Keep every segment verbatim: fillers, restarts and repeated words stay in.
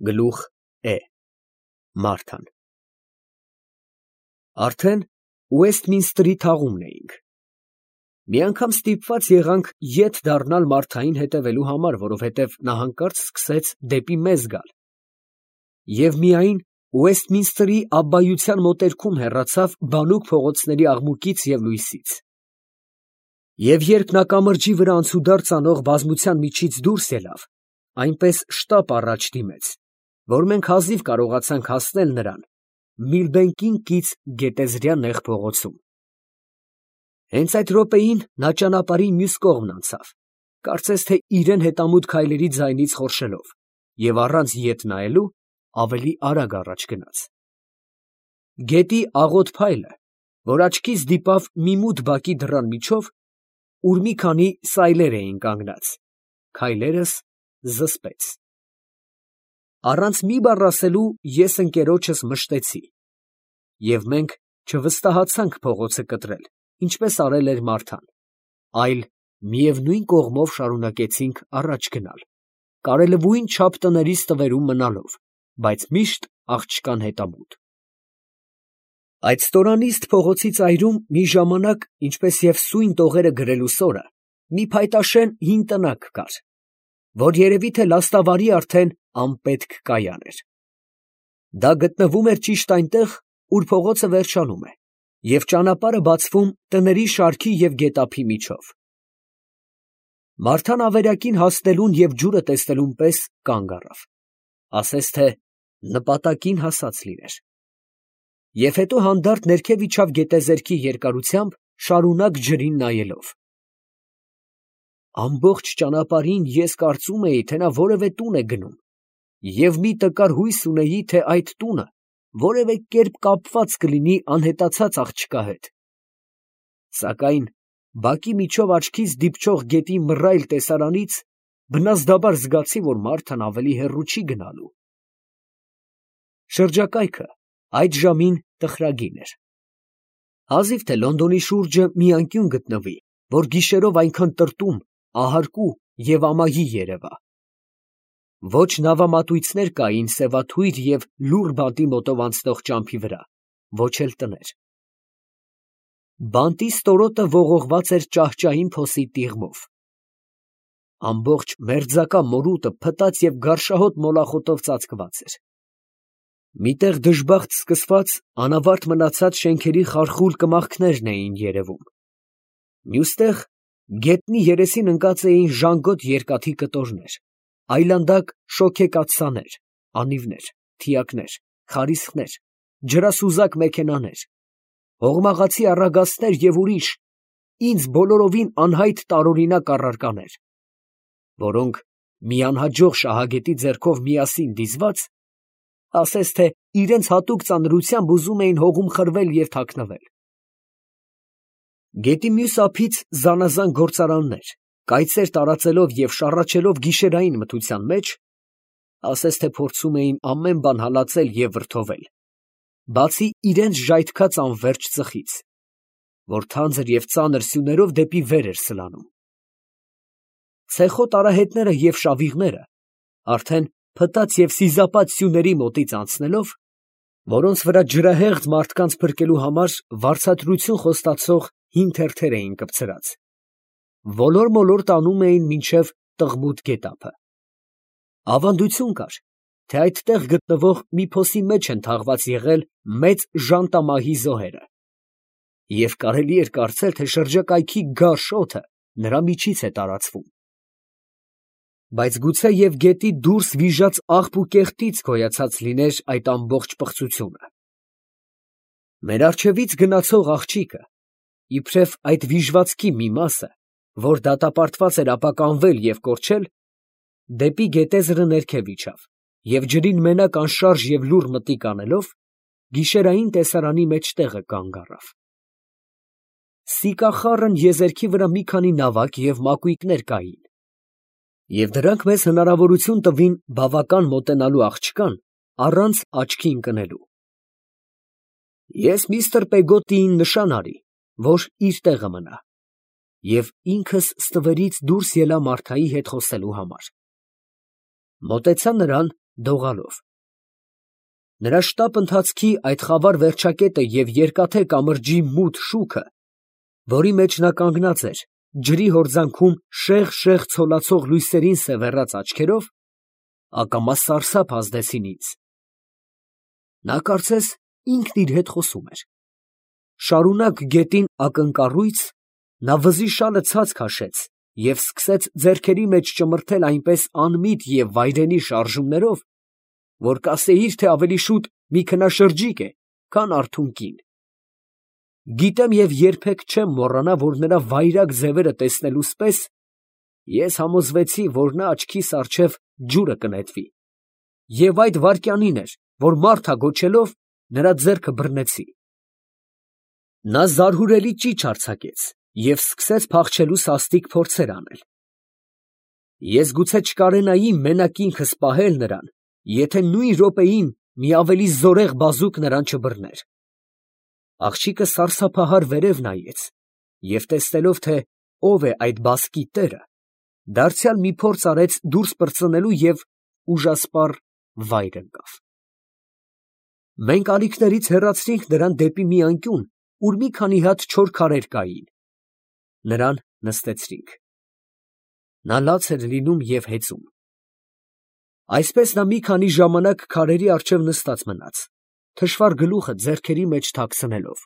Գլուխ Է Մարթան Արդեն Ուեսթմինսթրի թաղումն էինք։ Մի անգամ ստիպված եղանք ետ դառնալ Մարթային հետևելու համար, որովհետև նա հանկարծ սկսեց դեպի մեզ գալ։ Եվ միայն Ուեսթմինսթրի աբբայության մոտերքում հեռացավ բանուկ փողոցների աղմուկից և լույսից։ Եվ երբ նա կամրջի վրա անցուդարձ անող բազմության միջից դուրս ելավ, այնպես շտապ առաջ դիմեց, որ մենք հազիվ կարողացանք հասնել նրան Միլբենկին կից գետեզրյա նեղ փողոցում։ Հենց այդ րոպեին նա ճանապարհի մյուս կողմն անցավ, կարծես թե իրան հետամուտ քայլերի ձայնից խորշելով, և առանց ետ նայելու ավելի արագ առաջ գնաց։ Գետի աղոտ փայլը, որ աչքիս դիպավ մի մութ բակի դռան միջով, ուր մի քանի սայլեր էին կանգնած, քայլերս զսպեց։ Առանց մի բառ ասելու ես ընկերոջս մշտեցի, և մենք չվստահացանք փողոցը կտրել, ինչպես արել էր Մարթան, այլ միևնույն կողմով շարունակեցինք առաջ գնալ, կարելևույն չափ տների ստվերում մնալով, բայց միշտ աղջկան հետամուտ։ Այդ ստորանիստ փողոցի ծայրում մի ժամանակ, ինչպես և սույն տողերը գրելու սորը, մի փայտաշեն հին տնակ կար, որ երևի թե լաստավարի արդեն անպետք կայան էր։ Դա գտնվում էր ճիշտ այնտեղ, ուր փողոցը վերջանում է, և ճանապարհը բացվում տների շարքի և գետափի միջով։ Մարթան ավերակին հասնելուն և ջուրը տեսնելուն պես կանգ առավ, ասես թե նպատակին հասած լիներ, և հետո հանդարտ ներքև իջավ գետեզերքի երկարությամբ, շարունակ ջրին նայելով։ Ամբողջ ճանապարհին ես կարծում էի, թե նա որևէ տուն է գնում, և մի տկար հույս ունեի, թե այդ տունը որևէ կերպ կապված կլինի անհետացած աղջկա հետ։ Սակայն բակի միջով աչքիս դիպչող գետի մռայլ տեսարանից բնազդաբար զգացի, որ Մարթան ավելի հեռու չի գնալու։ Շրջակայքը այդ ժամին տխրագին էր։ Հազիվ թե Լոնդոնի շուրջը մի անկյուն գտնվի, որ գիշերով այնքան տրտում, ահարկու և ամայի երևա։ Ոչ նավամատույցներ կային սևաթույր և լուռ բանտի մոտով անցնող ճամփի վրա, ոչ էլ տներ։ Բանտի ստորոտը ողողված էր ճահճային փոսի տիղմով։ Ամբողջ մերձակա մորուտը փտած և գարշահոտ մոլախոտով ծածկված էր։ Մի տեղ դժբախտ սկսված, անավարտ մնացած շենքերի խարխուլ կմախքներն էին երևում։ Մյուս տեղ գետնի երեսին ընկած էին ժանգոտ երկաթի կտորներ, այլանդակ շոգեկաթսաներ, անիվներ, թիակներ, խարիսխներ, ջրասուզակ մեքենաներ, հողմաղացի առագաստներ և ուրիշ, ինձ բոլորովին անհայտ տարօրինակ առարկաներ, որոնք մի անհաջող շահագետի ձեռքով միասին դիզված, ասես թե իրենց հատուկ ծանրությամբ ուզում էին հողում խրվել և թաքնվել։ Գետի մյուս ափից զանազան գործարաններ, կայծեր տարածելով և շառաչելով գիշերային մթության մեջ, ասես թե փորձում էին ամեն բան հալածել և վրդովել, բացի իրենց ժայթքած անվերջ ծխից, որ թանձր և ծանր սյուներով դեպի վեր էր սլանում։ Ցեխոտ արահետները և շավիղները արդեն փտած և սիզապատ սյուների մոտից անցնելով, որոնց վրա ջրահեղձ մարդկանց փրկելու համար վարձատրություն խոստացող հին թերթեր էին կպցրած, ոլոր֊մոլոր տանում էին մինչև Տղմուտ գետափը։ Ավանդություն կար, թե այդտեղ գտնվող մի փոսի մեջ են թաղված եղել մեծ ժանտամահի զոհերը, և կարելի էր կարծել, թե շրջակայքի գարշ օդը նրա միջից է տարածվում։ Բայց գուցե և գետի դուրս վիժած աղբ ու կեղտից գոյացած լիներ այդ ամբողջ պղծությունը։ Մեր առջևից գնացող աղջիկը, իբրև այդ վիժվածքի մի մասը, որ դատապարտված էր ապականվել և կորչել, դեպի գետեզրը ներքև իջավ և ջրին մենակ անշարժ և լուռ մտիկ անելով, գիշերային տեսարանի մեջտեղը կանգ առավ։ Սիկախառն եզերքի վրա մի քանի նավակ և մակույկներ կային, և դրանք մեզ հնարավորություն տվին բավական մոտենալու աղջկան առանց աչքի ընկնելու։ Ես միստր Պեգոտիին նշան արի, որ իր տեղը մնա, և ինքս ստվերից դուրս ելա Մարթայի հետ խոսելու համար։ Մոտեցա նրան դողալով։ Նրա շտապ ընթացքի այդ խավար վերջակետը և երկաթե կամրջի մութ շուքը, որի մեջ նա կանգնած էր, ջրի հորձանքում շեղ֊շեղ ցոլացող լույսերին սևեռած աչքերով, ակամա սարսափ ազդեցին ինձ։ Նա կարծես ինքն իր հետ խոսում էր։ Շարունակ գետին ակնկառույց, նա վզի շալը ցած քաշեց և սկսեց ձեռքերի մեջ ճմրթել այնպես անմիտ և վայրենի շարժումներով, որ կասեիր, թե ավելի շուտ մի քնաշրջիկ է, քան արթուն կին։ Գիտեմ և երբեք չեմ մոռանա, որ նրա վայրագ ձևերը տեսնելուս պես ես համոզվեցի, որ նա աչքիս առջև ջուրը կնետվի, և այդ վայրկյանին էր, որ Մարթա գոչելով, նրա ձեռքը բռնեցի։ Նա զարհուրելի ճիչ արձակեց և սկսեց փախչելու սաստիկ փորձեր անել։ Ես գուցե չկարենայի մենակ ինքս պահել նրան, եթե նույն րոպեին մի ավելի զորեղ բազուկ նրան չբռներ։ Աղջիկը սարսափահար վերև նայեց և տեսնելով, թե ով է այդ բասկի տերը, դարձյալ մի փորձ արեց դուրս պրծնելու և ուժասպառ վայր ընկավ։ Մենք ալիքներից հեռացրինք նրան դեպի մի անկյուն, ուր մի քանի հատ չոր քարեր կային. նրան նստեցրինք։ Նա լաց էր լինում և հեծում։ Այսպես նա մի քանի ժամանակ քարերի առջև նստած մնաց, թշվառ գլուխը ձեռքերի մեջ թաքցնելով։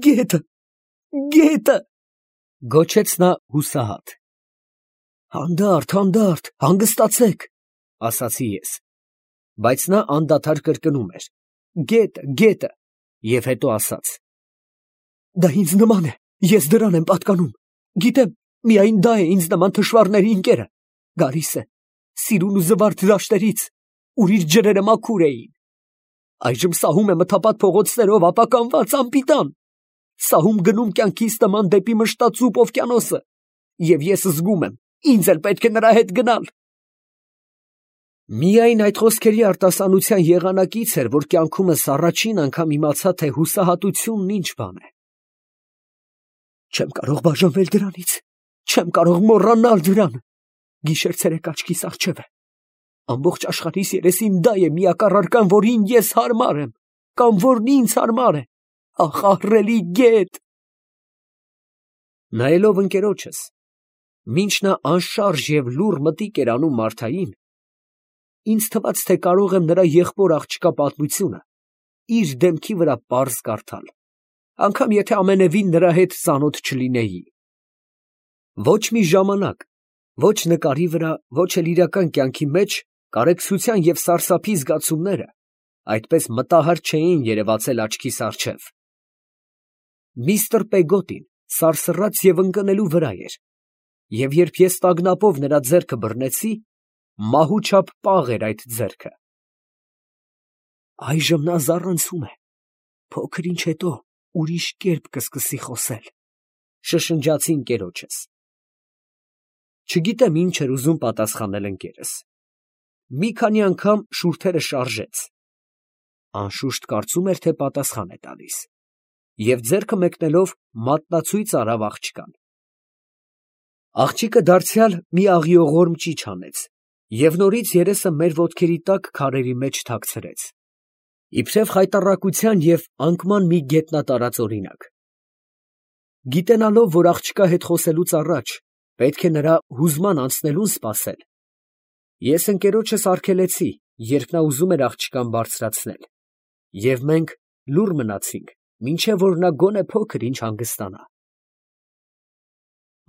«Գետը, գետը», ֊ գոչեց նա հուսահատ։ «Հանդարտ, հանդարտ, հանգստացեք», ֊ ասացի ես, բայց նա անդադար կրկնում էր. «Գետը, գետը», և հետո ասաց. «Դա ինձ նման է, ես դրան եմ պատկանում, գիտեմ, միայն դա է ինձ նման թշվառների ընկերը, գալիս է, սիրուն ու զվարթ դաշտերից, ուր իր ջրերը մաքուր էին, այժմ սահում է մթապատ փողոցներով ապականված անպիտան, սահում գնում կյանքիս նման դեպի մշտացուպ օվկիանոսը, և ես զգում եմ, ինձ էլ պետք է նրա հետ գնալ»։ Միայն այդ խոսքերի արտասանության եղանակից էր, որ կյանքումս առաջին անգամ իմացա, թե հուսահատությունն ինչ բան է։ «Չեմ կարող բաժանվել դրանից, չեմ կարող մոռանալ դրան, գիշեր֊ցերեկ աչքիս առջև է, ամբողջ աշխարհիս երեսին դա է միակ առարկան, որին ես հարմար եմ, կամ որն ինձ հարմար է, ախ, ահռելի գետ»։ Նայելով ընկերոջս, մինչ նա անշարժ և լուռ մտիկ էր անում Մարթային, ինձ թվաց, թե կարող եմ նրա եղբոր աղջկա պատմությունը իր դեմքի վրա պարզ կարդալ, անգամ եթե ամենևին նրա հետ ծանոթ չլինեի։ Ոչ մի ժամանակ, ոչ նկարի վրա, ոչ էլ իրական կյանքի մեջ կարեկցության և սարսափի զգացումները այդպես մտահար չէին երևացել աչքիս առջև։ Միստր Պեգոտին սարսռաց և ընկնելու վրա էր, և երբ ես տագնապով նրա ձեռքը բռնեցի, մահու չափ պաղ էր այդ ձեռքը։ «Այժմ նա զառանցում է, փոքր ինչ հետո ուրիշ կերպ կսկսի խոսել», ֊ շշնջացի ընկերոջս։ Չգիտեմ ինչ էր ուզում պատասխանել ընկերս։ Մի քանի անգամ շուրթերը շարժեց, անշուշտ կարծում էր, թե պատասխան է տալիս, և ձեռքը մեկնելով մատնացույց արավ աղջկան։ Աղջիկը դարձյալ մի աղիողորմ ճիչ հանեց և նորից երեսը մեր ոտքերի տակ քարերի մեջ թաքցրեց, իբրև խայտառակության և անկման մի գետնատարած օրինակ։ Գիտենալով, որ աղջկա հետ խոսելուց առաջ պետք է նրա հուզման անցնելուն սպասել, ես ընկերոջս արգելեցի, երբ նա ուզում էր աղջկան բարձրացնել, և մենք լուռ մնացինք, մինչև որ նա գոնե փոքր ինչ հանգստանա։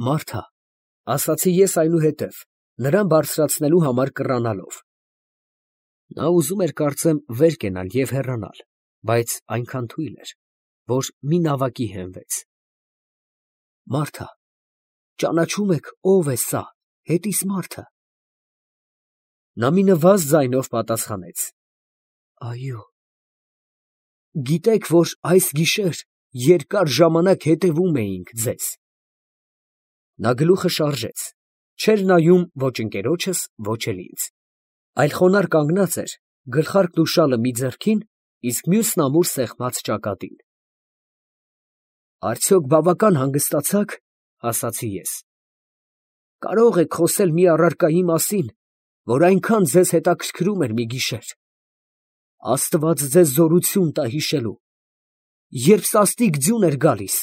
«Մարթա», ֊ ասացի ես այնուհետև, նրան բարձրացնելու համար կռանալով։ Նա ուզում էր, կարծեմ, վեր կենալ և հեռանալ, բայց այնքան թույլ էր, որ մի նավակի հենվեց։ «Մարթա, ճանաչո՞ւմ եք ով է սա, հետիս մարդը»։ Նա մի նվազ ձայնով պատասխանեց. «Այո»։ «Գիտեք, որ այս գիշեր երկար ժամանակ հետևում էինք ձեզ»։ Նա գլուխը շարժեց, չէր նայում ոչ ընկերոջս, ոչ էլ ինձ, այլ խոնարհ կանգնած էր, գլխարկն ու շալը մի ձեռքին, իսկ մյուսն ամուր սեղմած ճակատին։ «Արդյոք բավական հանգստացա՞ք», ֊ ասացի ես։ «Կարո՞ղ եք խոսել մի առարկայի մասին, որ այնքան ձեզ հետաքրքրում էր մի գիշեր։ Աստված ձեզ զորություն տա հիշելու, երբ սաստիկ ձյուն էր գալիս։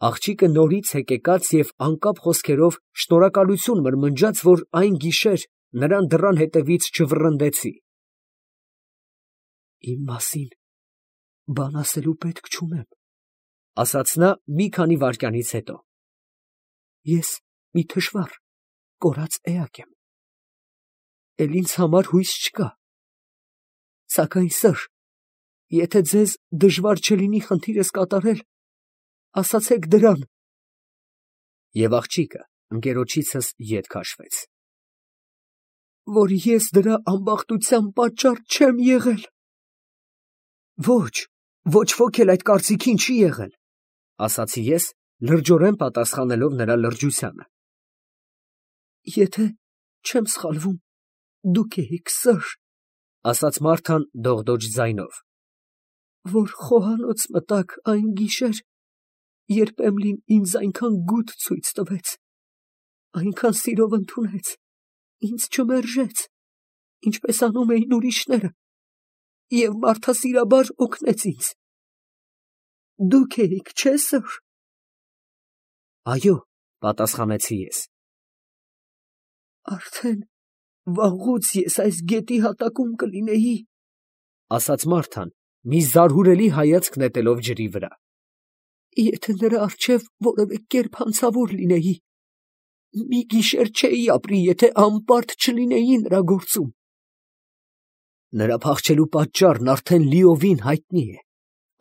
Աղջիկը նորից հեկեկաց և անկապ խոսքերով շնորհակալություն մրմնջաց, որ այն գիշեր նրան դռան հետևից չվռնդեցի։ Իմ մասին բան ասելու պետք չունեմ, ֊ ասաց նա մի քանի վայրկյանից հետո։ Ես մի թշվառ, կորած էակ եմ, էլ ինձ համար հույս չկա, սակայն սըր, եթե ձեզ դժվար չլինի խնդիրս կատարել, ասացեք դրան։ Եվ աղջիկը ընկերոջիցս ետ քաշվեց։ Որ ես դրա ամբախտության պատճառ չեմ եղել։ Ոչ, ոչ ոք էլ այդ կարծիքին չի եղել, ասացի ես, լրջորեն պատասխանելով նրա լրջությանը։ Եթե չեմ սխալվում, դուք էիք սըր, ասաց Մարթան դողդոջ ձայնով, որ խոհանոց մտաք այն գիշեր, երբ Էմլին ինձ այնքան գութ ցույց տվեց, այնքան սիրով ընդունեց, ինձ չմերժեց, ինչպես անում էին ուրիշները, և մարդասիրաբար օգնեց ինձ։ Դուք էիք, չէ՞ սըր։ Այո, պատասխանեցի ես։ Արդեն վաղուց ես այս գետի հատակում կլինեի, ասաց Մարթան, մի զարհուրելի հայացք նետելով ջրի վրա, եթե նրա առջև որևէ կերպ հանցավոր լինեի, մի գիշեր չէի ապրի, եթե անպարտ չլինեի նրա գործում։ Նրա փախչելու պատճառն արդեն լիովին հայտնի է,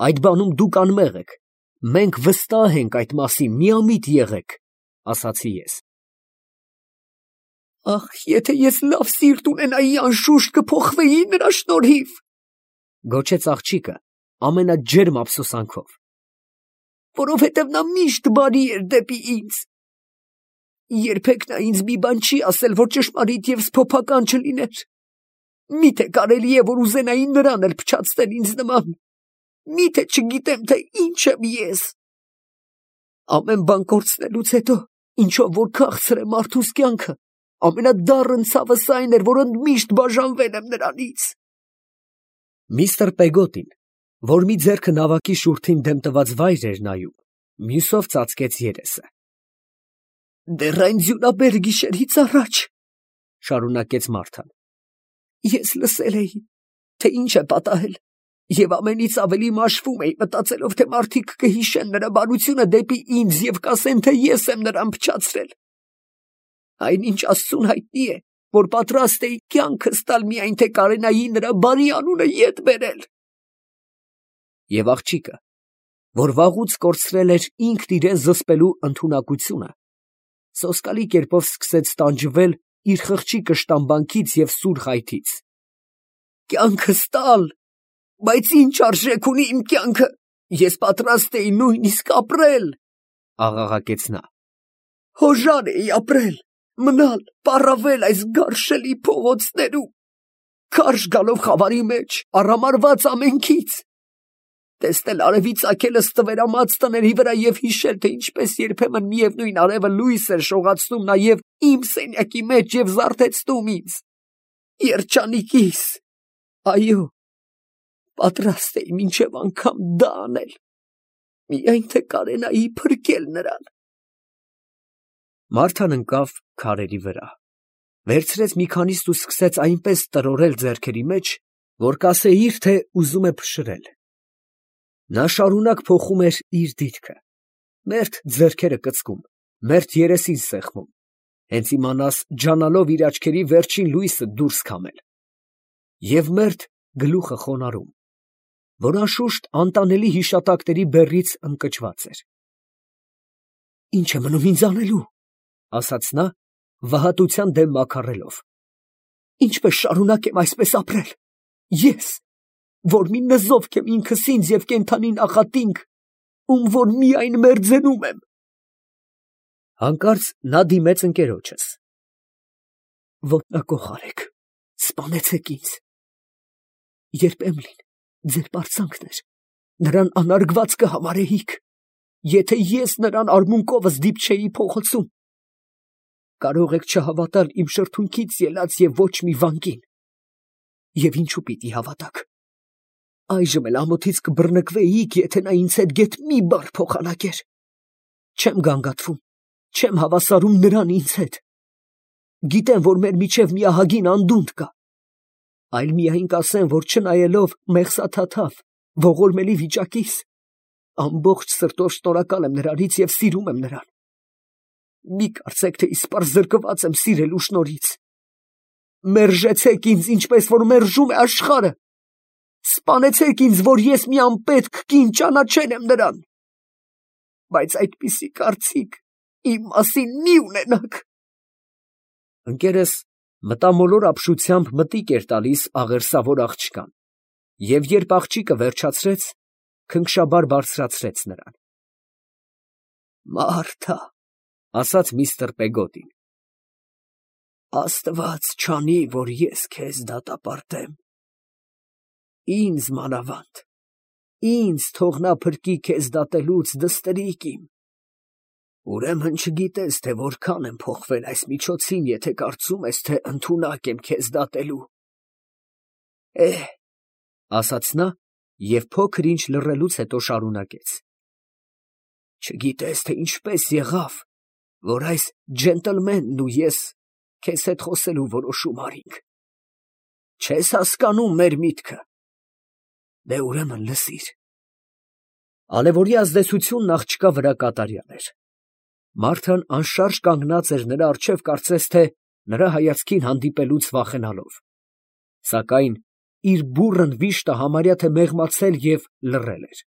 այդ բանում դուք անմեղ եք, մենք վստահ ենք այդ մասին, միամիտ եղեք, ասացի ես։ Ախ, եթե ես լավ սիրտ ունենայի, անշուշտ կփոխվեի նրա շնորհիվ, գոչեց աղջիկը ամենաջերմ ափսոսանքով, որովհետև նա միշտ բարի էր դեպի ինձ։ Երբեք նա ինձ մի բան չի ասել, որ ճշմարիտ և սփոփական չլիներ։ Միթե կարելի է, որ ուզենայի նրան էլ փչացնել ինձ նման, միթե չգիտեմ, թե ինչ եմ ես։ Ամեն բան կորցնելուց հետո, ինչով որ քաղցր է մարդուս կյանքը, ամենադառն ցավս այն էր, որ ընդմիշտ բաժանվել եմ նրանից։ Միստր Պեգոտին, որ մի ձեռքը նավակի շուրթին դեմ տված վայր էր նայում, մյուսով ծածկեց երեսը։ Դեռ այն ձյունաբեր գիշերից առաջ, շարունակեց Մարթան, ես լսել էի, թե ինչ է պատահել, և ամենից ավելի մաշվում էի, մտածելով, թե մարդիկ կհիշեն նրա բարությունը դեպի ինձ և կասեն, թե ես եմ նրան փչացրել։ Այնինչ Աստծուն հայտնի է, որ պատրաստ էի կյանքս տալ, միայն թե կարենայի նրա բարի անունը ետ բերել։ Եվ աղջիկը, որ վաղուց կորցրել էր ինքն իրեն զսպելու ընդունակությունը, սոսկալի կերպով սկսեց տանջվել իր խղճի կշտամբանքից և սուր խայթից։ Կյանքս տալ, բայց ինչ արժեք ունի իմ կյանքը, ես պատրաստ էի նույնիսկ ապրել, աղաղակեց նա։ Հոժար էի ապրել, մնալ, պառավել այս գարշելի փողոցներում, քարշ գալով խավարի մեջ, արամարված ամենքից, տեսնել արևի ծագելը ստվերամած տների վրա և հիշել, թե ինչպես երբեմն միևնույն արևը լույս էր շողացնում նաև իմ սենյակի մեջ և զարթեցնում ինձ, երջանիկիս, այո, պատրաստ էի մինչև անգամ դա անել, միայն թե կարենայի փրկել նրան։ Մարթան ընկավ քարերի վրա, վերցրեց մի քանիստ ու սկսեց այնպես տրորել ձեռքերի մեջ, որ կասեիր, թե ուզում է փշրել։ Նա շարունակ փոխում էր իր դիրքը, մերթ ձեռքերը կծկում, մերթ երեսին սեղմում, հենց իմանաս ջանալով իր աչքերի վերջին լույսը դուրս քամել, և մերթ գլուխը խոնարհում, որ անշուշտ անտանելի հիշատակների բեռից ընկճված էր։ Ինչ է մնում ինձ անելու, ասաց նա, վհատության դեմ մաքարելով, ինչպես շարունակեմ այսպես ապրել, ես, որ մի նզովք եմ ինքս ինձ և կենդանի նախատինք, ում որ միայն մերձենում եմ։ Հանկարծ նա դիմեց ընկերոջս. Ոտնակոխ արեք, սպանեցեք ինձ։ Երբ Էմլին ձեր պարծանքն էր, նրան անարգված կհամարեիք, եթե ես նրան արմունկովս դիպչեի փողոցում։ կարող եք չհավատալ իմ շրթունքից ելած և ոչ մի վանկին։ Եվ ինչու պիտի հավատաք. այժմ էլ ամոթից կբռնկվեիք, եթե նա ինձ հետ գեթ մի բառ փոխանակեր։ Չեմ գանգատվում, չեմ հավասարում նրան ինձ հետ։ Գիտեմ, որ մեր միջև մի ահագին անդունդ կա, այլ միայն կասեմ, որ չնայելով մեղսաթաթավ, ողորմելի վիճակիս, ամբողջ սրտով շնորհակալ եմ նրանից և սիրում եմ նրան։ Մի կարծեք, թե իսպառ զրկված եմ սիրելու շնորհից։ Մերժեցեք ինձ, ինչպես որ մերժում է աշխարհը։ Սպանեցեք ինձ, որ ես մի անպետք կին ճանաչել եմ նրան։ Բայց այդպիսի կարծիք իմ մասին մի ունենաք։ Ընկերս մտամոլոր ապշությամբ մտիկ էր տալիս աղերսավոր աղջկան, և երբ աղջիկը վերջացրեց, քնքշաբար բարձրացրեց նրան։ Մարթա, ասաց միստր Պեգոդին, Աստված չանի, որ ես քեզ դատապարտեմ։ Ինձ մանավանդ, ինձ թող նա փրկի քեզ դատելուց, դստրիկ իմ։ Ուրեմն չգիտես, թե որքան եմ փոխվել այս միջոցին, եթե կարծում ես, թե ընդունակ եմ քեզ դատելու։ Էհ, ասաց նա և փոքր ինչ լռելուց հետո շարունակեց. Չգիտես, թե ինչպես եղավ, որ այս ջենտլմենն ու ես քեզ հետ խոսելու որոշում արինք։ Չես հասկանում մեր միտքը։ Դե ուրեմն լսիր։ Ալեվորի ազդեցությունն աղջկա վրա կատարյալ էր։ Մարթան անշարժ կանգնած էր նրա առջև, կարծես թե նրա հայացքին հանդիպելուց վախենալով, սակայն իր բուռն վիշտը համարյա թե մեղմացել և լռել էր։